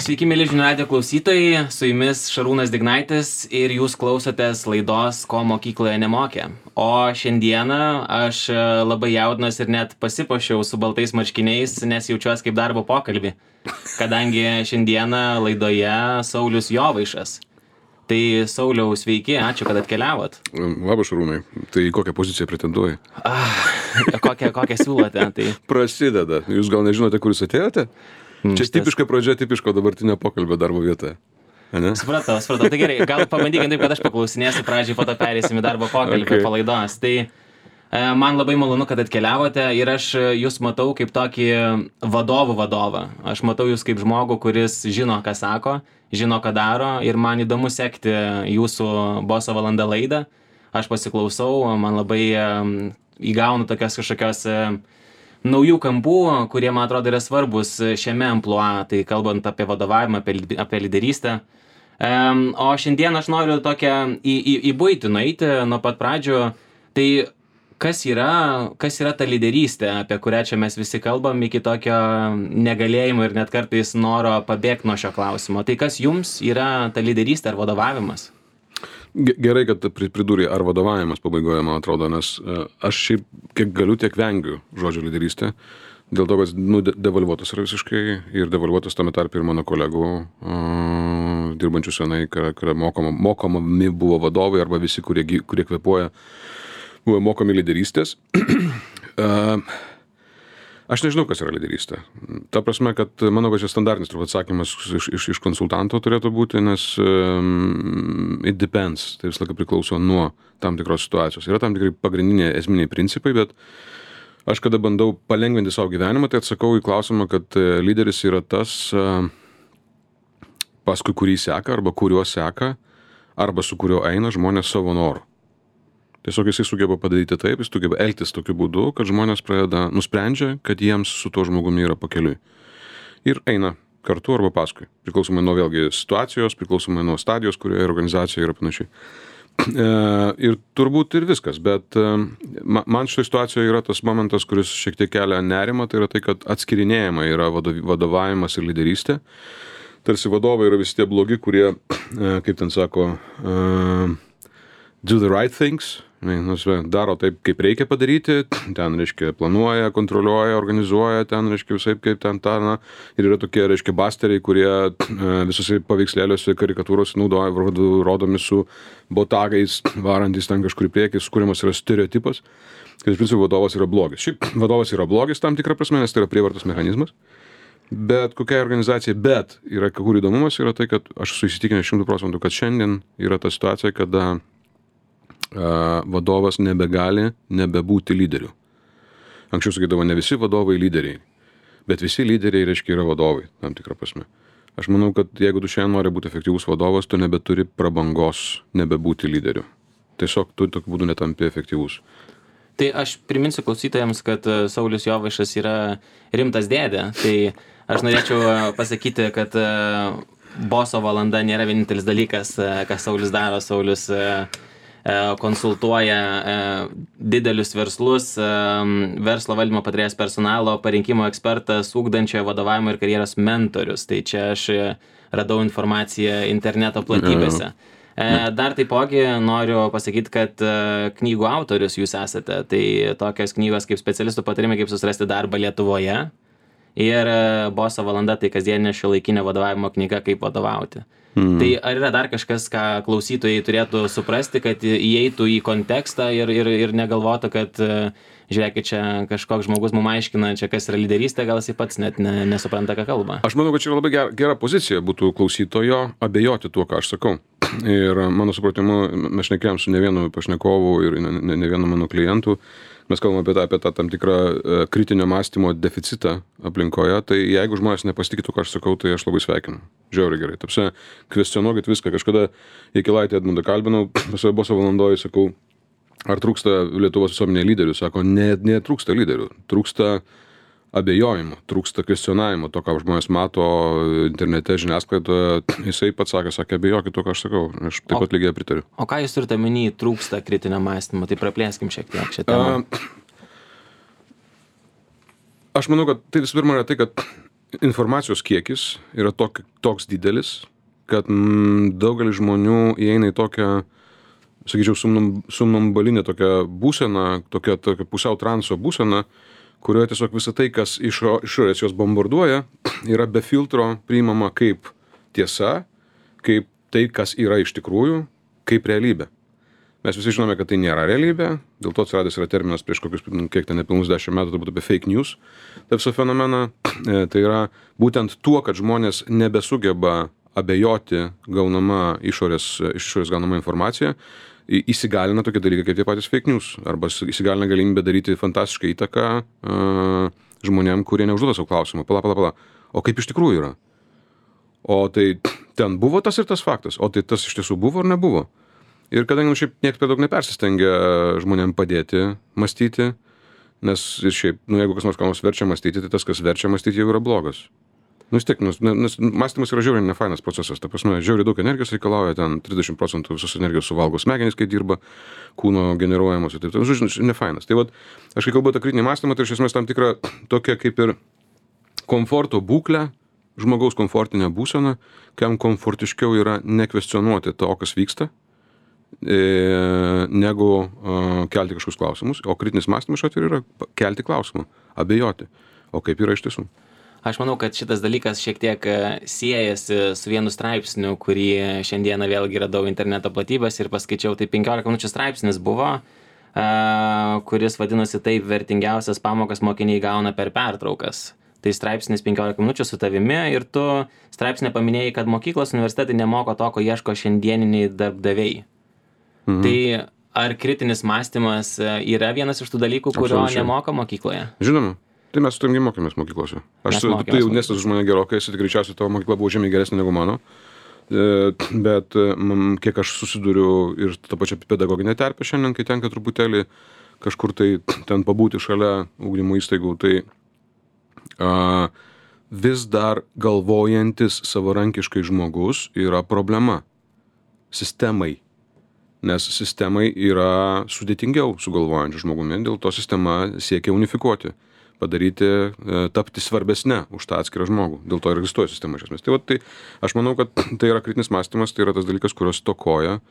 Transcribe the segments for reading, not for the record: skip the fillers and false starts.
Sveiki, mėly žinių radijo klausytojai, su jumis Šarūnas Dignaitis ir jūs klausotės laidos Ko mokykloje nemokė. O šiandieną aš labai jaudinuosi ir net pasipuošiau su baltais marškiniais, nes jaučiuosi kaip darbo pokalbį, kadangi šiandieną laidoje Saulius Jovaišas. Tai Sauliau, sveiki, ačiū, kad atkeliavot. Labas, Šarūnai. Tai kokią poziciją pretenduoji? Kokią siūlote? Tai... Prasideda. Jūs gal nežinote, kur jūs atėjote? Čia tipiška pradžia, tipiško dabartinio pokalbio darbo vietoje. Supratau. Tai gerai, gal pabandykim taip, kad aš paklausinėsiu pradžiai, po to perėsim į darbo pokalbį po laidos. Tai man labai malonu, kad atkeliavote ir aš jūs matau kaip tokį vadovą. Aš matau jūs kaip žmogų, kuris žino, ką sako, žino, ką daro ir man įdomu sekti jūsų Boso valanda laidą. Aš pasiklausau, man labai įgaunu tokios kažkokios naujų kampų, kurie, man atrodo, yra svarbus šiame amplua, tai kalbant apie vadovavimą, apie lyderystę. O šiandien aš noriu tokią į buitį nueiti nuo pat pradžių. Tai kas yra ta lyderystė, apie kurią čia mes visi kalbam, iki tokio negalėjimo ir net kartais noro pabėgti nuo šio klausimo. Tai kas jums yra ta lyderystė ar vadovavimas? Gerai, kad pridūrė ar vadovavimas pabaigoje, man atrodo, nes aš šiaip kiek galiu, tiek vengiu žodžio lyderystė, dėl to, kad devalvuotas yra visiškai ir devalvuotas tame tarp ir mano kolegų dirbančių senai, kurie mokomi buvo vadovai arba visi, kurie kvėpuoja, buvo mokomi lyderystės. Aš nežinau, kas yra lyderystė. Ta prasme, kad manau, kad čia standartinis turbūt atsakymas iš konsultanto turėtų būti, nes it depends, tai visą laiką priklauso nuo tam tikros situacijos. Yra tam tikrai pagrindiniai esminiai principai, bet aš kada bandau palengvinti savo gyvenimą, tai atsakau į klausimą, kad lyderis yra tas, paskui kurį seka, arba kuriuo seka, arba su kuriuo eina žmonės savo noru. Tiesiog jisai sugeba padaryti taip, jis sugeba elgtis tokiu būdu, kad žmonės nusprendžia, kad jiems su tuo žmogumi yra pakeliui. Ir eina kartu arba paskui. Priklausomai nuo vėlgi situacijos, priklausomai nuo stadijos, kurioje organizacija yra panašiai. Ir turbūt ir viskas, bet man šitoje situacijoje yra tas momentas, kuris šiek tiek kelia nerimą, tai yra tai, kad atskirinėjama yra vadovavimas ir lyderystė. Tarsi vadovai yra visi tie blogi, kurie, kaip ten sako, do the right things, daro taip, kaip reikia padaryti, ten, reiškia, planuoja, kontroliuoja, organizuoja, ten, reiškia, visai kaip ten tą, ir yra tokie, reiškia, basteriai, kurie visose paveikslėliuose karikatūros naudoja, rodomi su botagais, varantis ten kažkur į priekį, sukūrimas yra stereotipas, kad iš principo vadovas yra blogis. Šiaip vadovas yra blogis tam tikrą prasme, nes tai yra prievartos mechanizmas, bet kokia organizacija, bet yra kur įdomumas yra tai, kad aš esu įsitikinęs 100%, kad šiandien yra ta situacija, kada vadovas nebebūti lyderiu. Anksčiau sakydavo, ne visi vadovai lyderiai, bet visi lyderiai, reiškia, yra vadovai, tam tikrą prasme. Aš manau, kad jeigu tu šiandien nori būti efektyvus vadovas, tu nebeturi prabangos nebebūti lyderiu. Tiesiog tu tokiu būdu netampi efektyvus. Tai aš priminsiu klausytojams, kad Saulius Jovaišas yra rimtas dėdė. Tai aš norėčiau pasakyti, kad Boso valanda nėra vienintelis dalykas, ką Saulius daro. Saulius konsultuoja didelius verslus, verslo valdymo patarėjas personalo, parinkimo ekspertas, ugdančiojo vadovavimo ir karjeros mentorius. Tai čia aš radau informaciją interneto platybėse. Dar taipogi noriu pasakyti, kad knygų autorius jūs esate. Tai tokios knygos kaip specialistų patarimai, kaip susirasti darbą Lietuvoje ir Boso valanda, tai kasdieninė šiuolaikinė vadovavimo knyga, kaip vadovauti. Tai ar yra dar kažkas, ką klausytojai turėtų suprasti, kad įeitų į kontekstą ir negalvotų, kad žiūrėkit, čia kažkoks žmogus mums aiškina, čia kas yra lyderystė, gal jis pats net nesupranta, ką kalba. Aš manau, kad čia yra labai gera pozicija būtų klausytojo abejoti tuo, ką aš sakau. Ir mano supratimu, mes šnekėjom su ne vienu pašnekovu ir ne vienu mano klientu. Mes kalbame apie tą tam tikrą kritinio mąstymo deficitą aplinkoje, tai jeigu žmonės nepasitikėtų, ką aš sakau, tai aš labai sveikinu. Žiauriai gerai. Tapsi, kvestionuokit viską. Kažkada Jakilaitį Edmundą kalbinau, pasioje Boso valandoje, sakau, ar trūksta Lietuvos visuomenėje lyderių? Sako, netrūksta lyderių. Trūksta abejojimo, trūksta kvestionavimo, to, ką žmonės mato internete, žiniasklaidoje. Jisai pats sakė, abejokit to, ką aš sakau. Aš taip pat lygiai pritariu. O ką jūs turite omeny, trūksta kritinio mąstymo? Tai praplėskim šiek tiek šią temą. Aš manau, kad tai visų pirma yra tai, kad informacijos kiekis yra toks didelis, kad daugelis žmonių įeina į tokią, sakyčiau, somnambulinę tokią būseną, tokią pusiau transo būseną, kurioje tiesiog visą tai, kas išorės jos bombarduoja, yra be filtro priimama kaip tiesa, kaip tai, kas yra iš tikrųjų, kaip realybė. Mes visi žinome, kad tai nėra realybė, dėl to atsiradęs yra terminas prieš kokius, kiek ten nepilnus 10 metų, turbūt apie fake news, tą visą fenomeną. Tai yra būtent tuo, kad žmonės nebesugeba abejoti gaunama išorės gaunama informacija, įsigalina tokie dalykai kaip tie patys fake news, arba įsigalina galimybę daryti fantastišką įtaką žmonėm, kurie neužduoda savo klausimą. Pala. O kaip iš tikrųjų yra? O tai ten buvo tas ir tas faktas, o tai tas iš tiesų buvo ar nebuvo? Ir kadangi šiaip niekas per daug nepersistengia žmonėm padėti mąstyti, nes ir šiaip, jeigu kas nors verčia mąstyti, tai tas, kas verčia mąstyti, jau yra blogas. Vis tiek, nes mąstymas yra žiauriai nefainas procesas. Ta prasme, žiauriai daug energijos reikalauja, ten 30% visos energijos suvalgo smegenys, kai dirba, kūno generuojamos ir taip. Žodžiu, nefainas. Tai vat, aš kai kalbu apie kritinį mąstymą, tai iš esmės tam tikra tokia kaip ir komforto būklė, žmogaus komfortinė būsena, kam komfortiškiau yra nekvestionuoti to, kas vyksta, negu kelti kažkokius klausimus, o kritinis mąstymas šiuo atveju yra kelti klausimą, abejoti, o kaip yra iš tiesų. Aš manau, kad šitas dalykas šiek tiek siejasi su vienu straipsniu, kurį šiandieną vėlgi radau interneto platybės ir paskaičiau, tai 15 minučių straipsnis buvo, kuris vadinosi taip vertingiausias pamokas mokiniai gauna per pertraukas. Tai straipsnis 15 minučių su tavimi ir tu straipsnė paminėjai, kad mokyklos universitetai nemoko to, ko ieško šiandieniniai darbdaviai. Tai ar kritinis mąstymas yra vienas iš tų dalykų, kurio nemoka mokykloje? Žinoma. Tai mes su tavimi mokėmės mokyklose. Tu jaunesnis už mane gerokai, esi greičiausiai tavo mokykla buvo žymiai geresnė negu mano. Bet kiek aš susiduriu ir tą pačią pedagoginę terpę šiandien, kai tenka truputėlį kažkur tai ten pabūti šalia ugdymo įstaigų, tai vis dar galvojantis savarankiškai žmogus yra problema sistemai. Nes sistemai yra sudėtingiau su galvojančiu žmogumi, dėl to sistema siekia unifikuoti, padaryti, tapti svarbesnė už tą atskirą žmogų. Dėl to ir egzistuoja sistema iš esmės. Tai aš manau, kad tai yra kritinis mąstymas, tai yra tas dalykas, kurios stokoja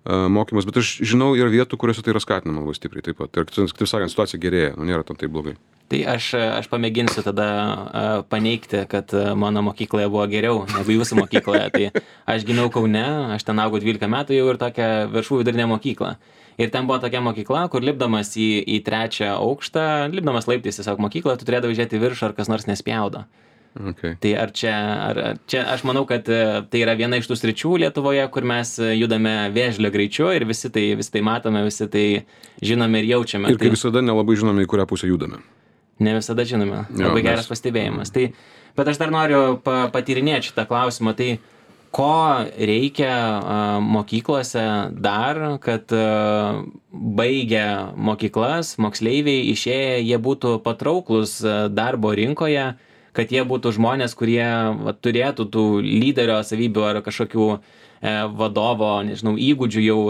mokymas, bet aš žinau ir vietų, kuriuose tai yra skatinama labai stipriai taip pat. Ir, kaip sakant, situacija gerėja, nėra tam taip blogai. Tai aš pamėginsiu tada paneigti, kad mano mokykloje buvo geriau negu jūsų mokykloje. Tai aš gimiau Kaune, aš ten augau 12 metų jau ir tokią viršų vidurinę mokyklą. Ir ten buvo tokia mokykla, kur lipdamas į 3 aukštą, lipdamas laiptais tiesiog mokyklą, tu turėdavai žiūrėti viršų, ar kas nors nespjaudo. Okay. Tai ar čia aš manau, kad tai yra viena iš tų sričių Lietuvoje, kur mes judame vėžlio greičiu ir visi tai matome, visi tai žinome ir jaučiame. Ir kaip visada nelabai žinome, į kurią pusę judame. Ne visada žinome. Labai geras pastebėjimas. Tai, bet aš dar noriu patyrinėti šitą klausimą. Tai ko reikia mokyklose dar, kad baigę mokyklas, moksleiviai išėję, jie būtų patrauklus darbo rinkoje, kad jie būtų žmonės, kurie turėtų tų lyderio savybių ar kažkokių vadovo, nežinau, įgūdžių jau,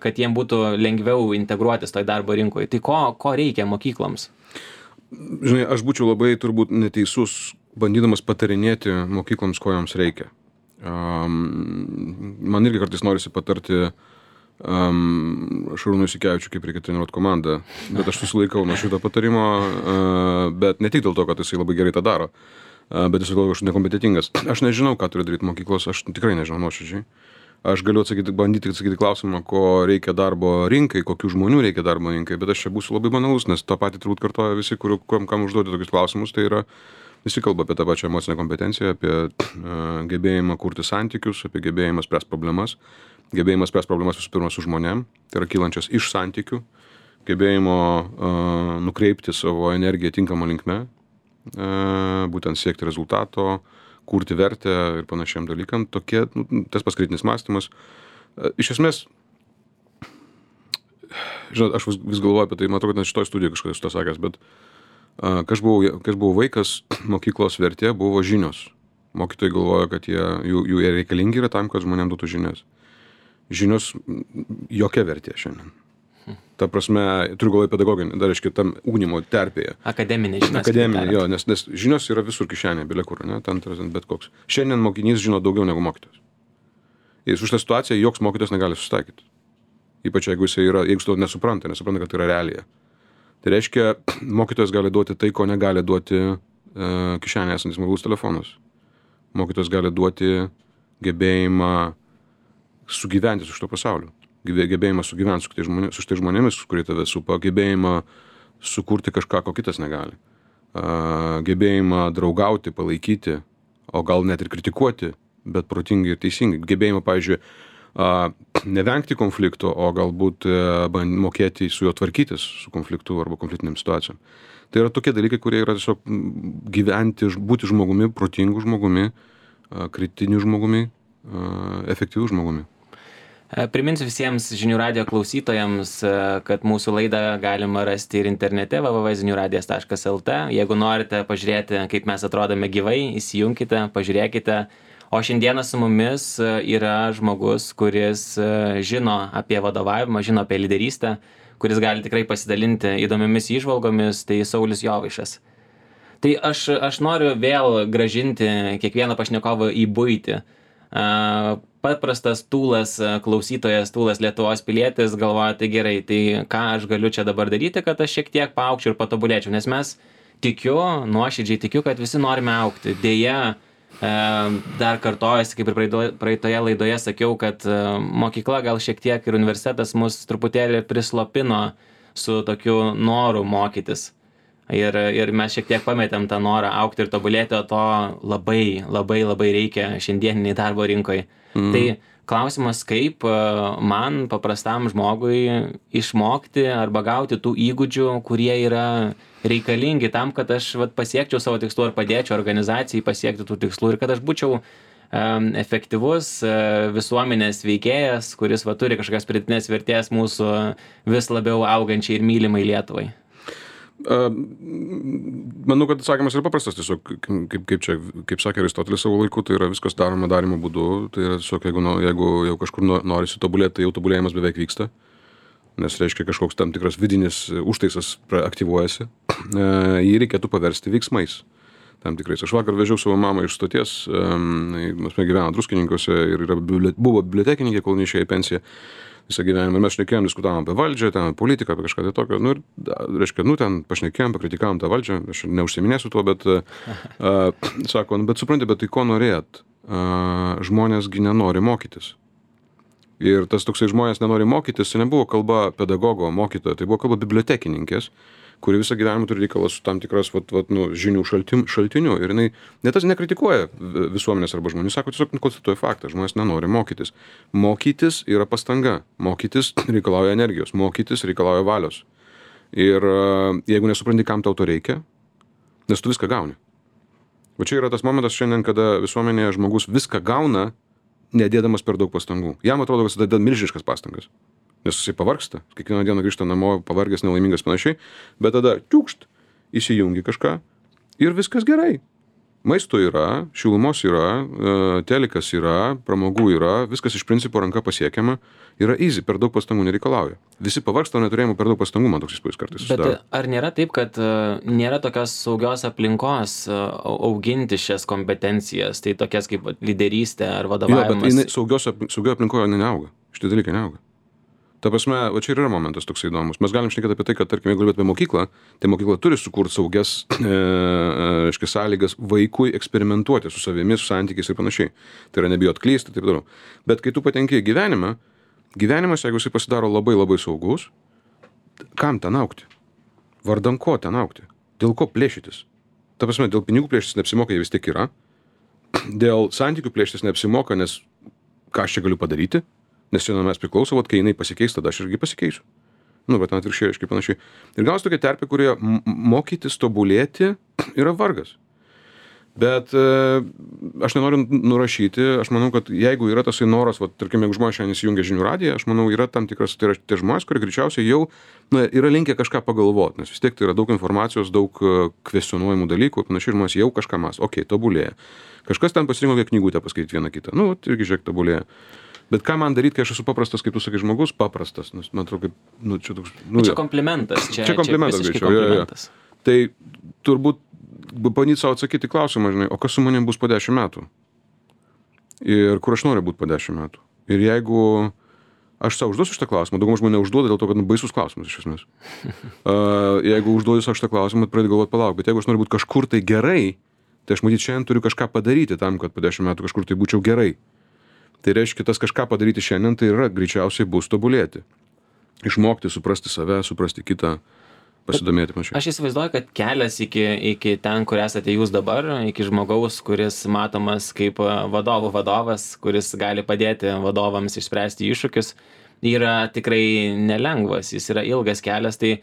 kad jiem būtų lengviau integruotis toj darbo rinkoje. Tai ko reikia mokykloms? Žinai, aš būčiau labai turbūt neteisus, bandydamas patarinėti mokykloms, ko joms reikia. Man irgi kartais norisi patarti Šarūnui Jasikevičiui, kaip reikia treniruoti komandą, bet aš susilaikau nuo šito patarimo, bet ne tik dėl to, kad jisai labai gerai tą daro, bet jisai dėl to, kad aš nekompetentingas. Aš nežinau, ką turi daryti mokyklos, aš tikrai nežinau nuoširdžiai. Aš galiu bandyti atsakyti klausimą, ko reikia darbo rinkai, kokių žmonių reikia darbo rinkai, bet aš čia būsiu labai banalus, nes tą patį turbūt kartoja visi, kam užduoti tokius klausimus, tai yra visi kalba apie tą pačią emocinę kompetenciją, apie gebėjimą kurti santykius, apie gebėjimą spręsti problemas. Gebėjimas spręsti problemas visų pirma su žmonėm, tai yra kylančias iš santykių, gebėjimo nukreipti savo energiją tinkamą linkme, būtent siekti rezultato, kurti vertę ir panašiam dalykam. Tokie, tas pats kritinis mąstymas. Iš esmės, žinot, aš vis galvoju apie tai, matau, kad net šitoj studijoje kažkas to sakęs, bet kai aš buvau vaikas, mokyklos vertė buvo žinios. Mokytojai galvoja, kad jų reikalingi yra tam, kad žmonėm duotų žinias. Žinios jokia vertė šiandien. Ta prasme, turiu galvoje pedagoginį, dar reiškia tam ugdymo terpėje. Akademinė žinios. Akademinė, jo, nes žinios yra visur kišenė, bile kur, ne, ten bet koks. Šiandien mokinys žino daugiau negu mokytojas. Ir su šitą situaciją joks mokytojas negali susitaikyti. Ypač jeigu jis to nesupranta, kad tai yra realija. Tai reiškia, mokytojas gali duoti tai, ko negali duoti kišenėje esantis mobilus telefonas. Mokytojas gali duoti gebėjimą sugyventi su šito pasauliu. Gebėjimą sugyventi su šitais žmonėmis, kurie tave supa, gebėjimą sukurti kažką, ko kitas negali. Gebėjimą draugauti, palaikyti, o gal net ir kritikuoti, bet protingai ir teisingai. Gebėjimą, pavyzdžiui, nevengti konflikto, o galbūt mokėti su juo tvarkytis, su konfliktu arba konfliktiniam situacijom. Tai yra tokie dalykai, kurie yra tiesiog gyventi, būti žmogumi, protingu žmogumi, kritiniu žmogumi, efektyviu žmogumi. Priminsiu visiems žinių radijo klausytojams, kad mūsų laidą galima rasti ir internete www.ziniuradijas.lt. Jeigu norite pažiūrėti, kaip mes atrodome gyvai, įsijunkite, pažiūrėkite. O šiandieną su mumis yra žmogus, kuris žino apie vadovavimą, žino apie lyderystę, kuris gali tikrai pasidalinti įdomiomis įžvalgomis, tai Saulius Jovaišas. Tai aš noriu vėl grąžinti kiekvieną pašnekovą į buitį. Paprastas tūlas, klausytojas, tūlas Lietuvos pilietis galvoja, tai gerai, tai ką aš galiu čia dabar daryti, kad aš šiek tiek paaugčiau ir patobulėčiau, nes mes nuoširdžiai tikiu, kad visi norime augti. Deja, dar kartojasi, kaip ir praeitoje laidoje sakiau, kad mokykla gal šiek tiek ir universitetas mus truputėlį prislopino su tokiu noru mokytis. Ir mes šiek tiek pametėm tą norą augti ir tobulėti, o to labai reikia šiandieniniai darbo rinkoje. Tai klausimas, kaip man, paprastam žmogui, išmokti arba gauti tų įgūdžių, kurie yra reikalingi tam, kad aš pasiekčiau savo tikslų ir padėčiau organizacijai pasiekti tų tikslų ir kad aš būčiau efektyvus visuomenės veikėjas, kuris turi kažkokias pridėtinės vertės mūsų vis labiau augančiai ir mylimai Lietuvai. Manau, kad atsakymas yra paprastas, tiesiog, kaip sakė Aristotelis savo laiku, tai yra viskas daroma darymo būdu, tai yra tiesiog, jeigu jau kažkur norisi tobulėti, tai jau tobulėjimas beveik vyksta, nes reiškia kažkoks tam tikras vidinis užtaisas aktyvuojasi, jį reikėtų paversti veiksmais tam tikrais. Aš vakar vežiau savo mamą iš stoties, mes gyveno Druskininkuose ir buvo bibliotekininkė, kol neišėjo į pensiją visą gyvenimą. Ir mes šnekėjom, diskutavom apie valdžią, ten politiką, apie kažką tai tokio. Ir, reiškia, ten pašnekėjom, pakritikavom tą valdžią, aš neužsiminėsiu tuo, bet sako, bet supranti, bet tai ko norėt? Žmonėsgi nenori mokytis. Ir tas toksai žmonės nenori mokytis, tai nebuvo kalba pedagogo, mokytojo, tai buvo kalba bibliotekininkės, kuri visą gyvenimą turi reikalą su tam tikras žinių šaltiniu. Ir jinai tas nekritikuoja visuomenės arba žmonių, sako, tiesiog konstatuoja faktą, žmonės nenori mokytis. Mokytis yra pastanga, mokytis reikalauja energijos, mokytis reikalauja valios. Ir jeigu nesupranti, kam tau to reikia, nes tu viską gauni. Va čia yra tas momentas šiandien, kada visuomenėje žmogus viską gauna, nedėdamas per daug pastangų. Jam atrodo, kad jis deda milžiniškas pastangas. Nes jisai pavargsta, kiekvieną dieną grįžta namo, pavargęs, nelaimingas panašiai, bet tada čiukšt, įsijungi kažką ir viskas gerai. Maisto yra, šilumos yra, telikas yra, pramogų yra, viskas iš principo ranka pasiekiama, yra easy, per daug pastangų nereikalauja. Visi pavargsta, neturėjimo per daug pastangų, man toks įspūdis kartais susidaro. Bet ar nėra taip, kad nėra tokios saugios aplinkos auginti šias kompetencijas, tai tokias kaip lyderystė ar vadovavimas? Jo, bet saugioje aplinkoje neauga, šitie dalykai neauga. Ta prasme, va čia ir yra momentas toksai įdomus. Mes galim šnekėti apie tai, kad, tarkim, jeigu kalbėt apie mokyklą, tai mokykla turi sukurti saugias sąlygas vaikui eksperimentuoti su savimi, su santykiais ir panašiai. Tai yra nebijot klysti ir taip toliau. Bet kai tu patenki į gyvenimas, jeigu jisai pasidaro labai saugus, kam ten augti? Vardan ko ten augti? Dėl ko plėšytis? Ta prasme, dėl pinigų plėšytis neapsimoka, jie vis tiek yra. Dėl santykių plėšytis neapsimoka, nes ką aš čia galiu padaryti? Nes šiandien mes priklauso, kai jinai pasikeis, tada aš irgi pasikeisiu. Bet atvirkščiai, aiškiai panašiai. Ir gaunas tokia terpė, kurioje mokytis, tobulėti yra vargas. Bet aš nenoriu nurašyti, aš manau, kad jeigu yra tasai noras, tarkim, jeigu žmonės šiandien įsijungia žinių radiją, aš manau, yra tam tikras, tai yra tie žmonės, kurie greičiausiai jau yra linkę kažką pagalvoti, nes vis tiek tai yra daug informacijos, daug kvestionuojamų dalykų, panašiai žmonės jau kažką mąsto, tobulėja. Kažkas ten pasirinko knygutę paskaityti vieną kitą, irgi žiūrėk, tobulėja. Bet ką man daryti, kai aš esu paprastas, kaip tu sakai, žmogus paprastas, nes man atrodo, kaip, čia toks, čia komplimentas, čia komplimentas greičiau, komplimentas. Tai turbūt bandyti savo atsakyti klausimą, žinai, o kas su manim bus po 10 metų? Ir kur aš noriu būti po 10 metų? Ir jeigu aš savo užduosiu šitą klausimą, daugumą žmonių užduoda dėl to, kad baisus klausimas iš esmės. Jeigu užduosiu savo šitą klausimą, pradėti galvoti palauk, bet jeigu aš noriu būti kažkur tai gerai, tai aš matyt šiandien turiu kažką padaryti tam, kad po 10 metų kažkur tai būčiau gerai. Tai reiškia, tas kažką padaryti šiandien, tai yra greičiausiai bus tobulėti. Išmokti, suprasti save, suprasti kitą, pasidomėti mačiau. Aš įsivaizduoju, kad kelias iki ten, kur esate jūs dabar, iki žmogaus, kuris matomas kaip vadovas, kuris gali padėti vadovams išspręsti iššūkius, yra tikrai nelengvas, jis yra ilgas kelias. Tai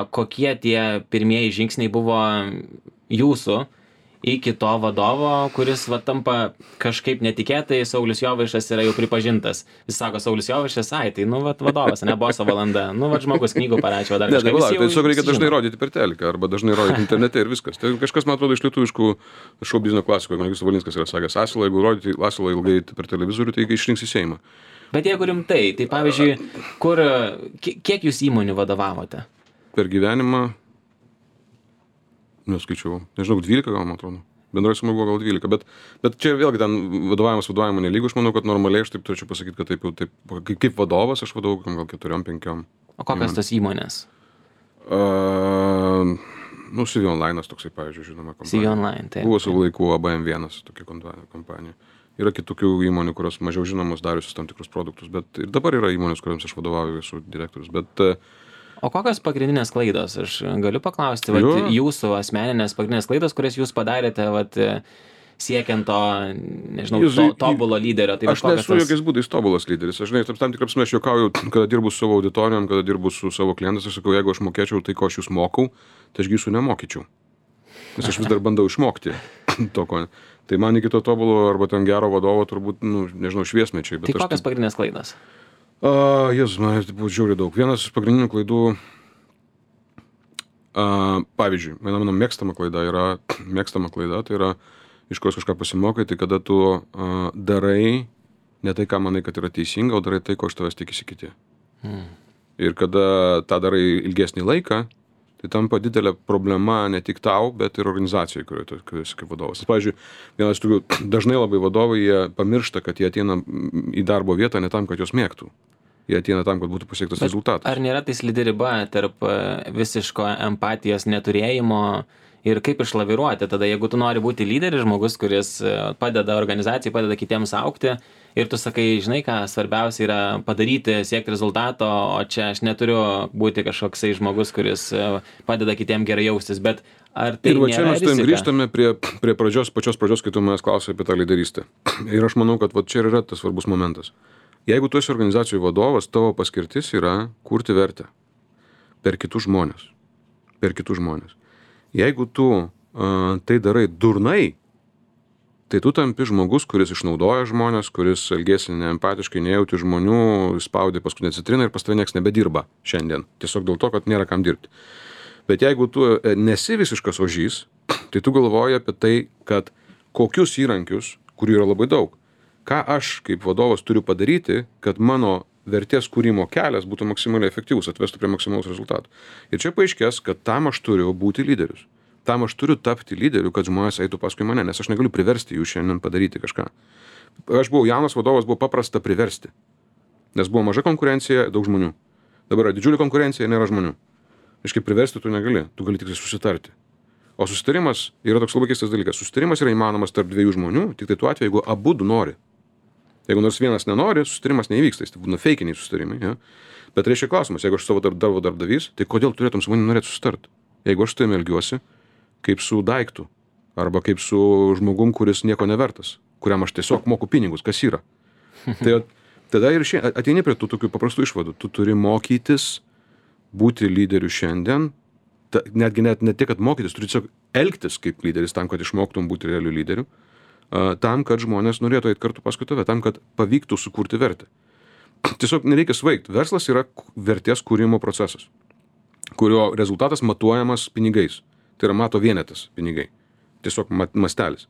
kokie tie pirmieji žingsniai buvo jūsų iki to vadovo, kuris tampa kažkaip netikėtai, Saulius Jovaišas yra jau pripažintas. Jis sako, Saulius Jovaišas, tai vadovas, ne boso valanda, žmogus knygų parašė, dar kažką. Tai tiesiog reikia dažnai rodyti per teliką, arba dažnai rodyti internete ir viskas. Tai kažkas, man atrodo, iš lietuviškų šou biznio klasikų, man Justas Valinskas yra sakęs, asilą, jeigu rodyti asilą ilgai per televizorių, tai išrinks į Seimą. Bet jeigu rimtai, tai pavyzdžiui, kiek jūs įmonių vadovavote? Per gyvenimą neskaičiau, nežinau, 12 gal, man atrodo. Bendroji suma buvo gal 12, bet čia vėlgi ten vadovavimo nelygu, aš manau, kad normaliai aš taip turėčiau pasakyti, kad taip, kaip vadovas aš vadovau gal 4-5. O kokios tos įmonės? CV Online toksai, pavyzdžiui, žinoma kompanija. CV Online, taip. Buvo savo laiku ABM1 tokia kompanija. Yra kitokių įmonių, kurios mažiau žinomos dariusios tam tikrus produktus, bet ir dabar yra įmonės, kuriams aš vadovauju, esu direktorius, bet O kokios pagrindinės klaidos? Aš galiu paklausti, jūsų asmeninės pagrindinės klaidos, kurias jūs padarėte, siekiant to, nežinau, tobulo lyderio. Tai aš nesu jokiais būdais tobulas lyderis. Aš tam tikrą prasme aš juokauju, kada dirbu su savo auditorijom, kada dirbu su savo klientais, aš sakau, jeigu aš mokėčiau tai, ko aš jūs mokau, tai aš jūsų nemokyčiau. Nes aš vis dar bandau išmokti to, ko. Tai man iki to tobulo arba ten gero vadovo turbūt, nežinau, šviesmečiai. Tai kokios pagrindinės klaidos? Jėzus, man buvo žiauriai daug. Vienas iš pagrindinių klaidų, pavyzdžiui, mano mėgstama klaida, tai yra, iš kurios kažką pasimokai, tai kada tu darai ne tai, ką manai, kad yra teisinga, o darai tai, ko iš tavęs tikisi kiti. Ir kada tą darai ilgesnį laiką, tai tampa didelė problema ne tik tau, bet ir organizacijai, kurioje tu esi kaip vadovas. Pavyzdžiui, vienas iš tokių, dažnai labai vadovai, jie pamiršta, kad jie ateina į darbo vietą ne tam, kad jos mėgtų. Jie ateina tam, kad būtų pasiektas rezultatas. Ar nėra tai slidi riba tarp visiško empatijos neturėjimo ir kaip išlaviruoti? Tada, jeigu tu nori būti lyderis, žmogus, kuris padeda organizacijai, padeda kitiems augti, ir tu sakai, žinai ką, svarbiausia yra padaryti, siekti rezultato, o čia aš neturiu būti kažkoksai žmogus, kuris padeda kitiem gerai jaustis, bet ar tai ir nėra rizika? Ir va čia mes grįžtame prie pačios pradžios, kai tu manęs klausai apie tą lyderystę. Ir aš manau, kad čia yra tas svarbus momentas. Jeigu tu esi organizacijų vadovas, tavo paskirtis yra kurti vertę per kitus žmonės. Jeigu tu tai darai durnai, tai tu tampi žmogus, kuris išnaudoja žmonės, kuris elgėsi neempatiškai, nejauti žmonių, spaudė paskutinę citriną ir pas tave nieks nebedirba šiandien. Tiesiog dėl to, kad nėra kam dirbti. Bet jeigu tu nesi visiškas ožys, tai tu galvoji apie tai, kad kokius įrankius, kurių yra labai daug, ką aš kaip vadovas turiu padaryti, kad mano vertės kūrimo kelias būtų maksimaliai efektyvus, atvestų prie maksimalaus rezultato. Ir čia paaiškės, kad tam aš turiu būti lyderius. Tam aš turiu tapti lyderiu, kad žmonės eitų paskui mane, nes aš negaliu priversti jų šiandien padaryti kažką. Aš buvau jaunas vadovas, buvo paprasta priversti. Nes buvo maža konkurencija, daug žmonių. Dabar yra didžiulė konkurencija, nėra žmonių. Iškai priversti tu negali, tu gali tik susitarti. O susitarimas yra toks labai keistas dalykas. Susitarimas yra įmanomas tarp dviejų žmonių, tik tai tuo atveju, jeigu abu du nori. Jeigu nors vienas nenori, susitarimas neįvyksta, tai būna feikiniai susitarimai. Ja? Bet reiškia klausimas, jeigu aš savo darbdavys, tai kodėl turėtum su manim norėti susitarti? Jeigu aš su tavimi elgiuosi kaip su daiktu, arba kaip su žmogum, kuris nieko nevertas, kuriam aš tiesiog moku pinigus, kas yra. Tai tada ir ateini prie tų tokių paprastų išvadų. Tu turi mokytis būti lyderiu šiandien, netgi ne tik, kad mokytis, turi tiesiog elgtis kaip lyderis tam, kad išmoktum būti realiu lyderiu, tam, kad žmonės norėtų eiti kartu paskui tave, tam, kad pavyktų sukurti vertę. Tiesiog nereikia svaigti. Verslas yra vertės kūrimo procesas, kurio rezultatas matuojamas pinigais. Tai yra mato vienetas pinigai. Tiesiog mastelis.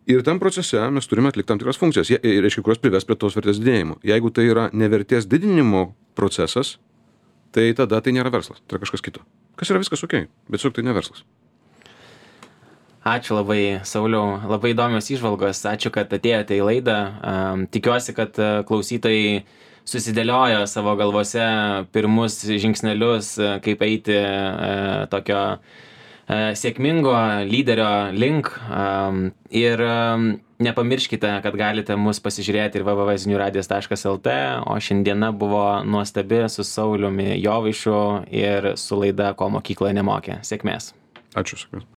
Ir tam procese mes turime atlikti tam tikras funkcijas, reiškia, kurios prives prie tos vertės didėjimo. Jeigu tai yra nevertės didinimo procesas, tai tada tai nėra verslas, tai yra kažkas kito. Kas yra viskas okei, bet tiesiog tai ne verslas. Ačiū labai, Sauliau, labai įdomios įžvalgos, ačiū, kad atėjote į laidą. Tikiuosi, kad klausytojai susidėliojo savo galvose pirmus žingsnelius, kaip eiti tokio sėkmingo lyderio link. Ir nepamirškite, kad galite mus pasižiūrėti ir www.ziniuradijas.lt, o šiandiena buvo nuostabi su Sauliumi Jovaišu ir su laida Ko mokykloje nemokė. Sėkmės. Ačiū, sėkmės.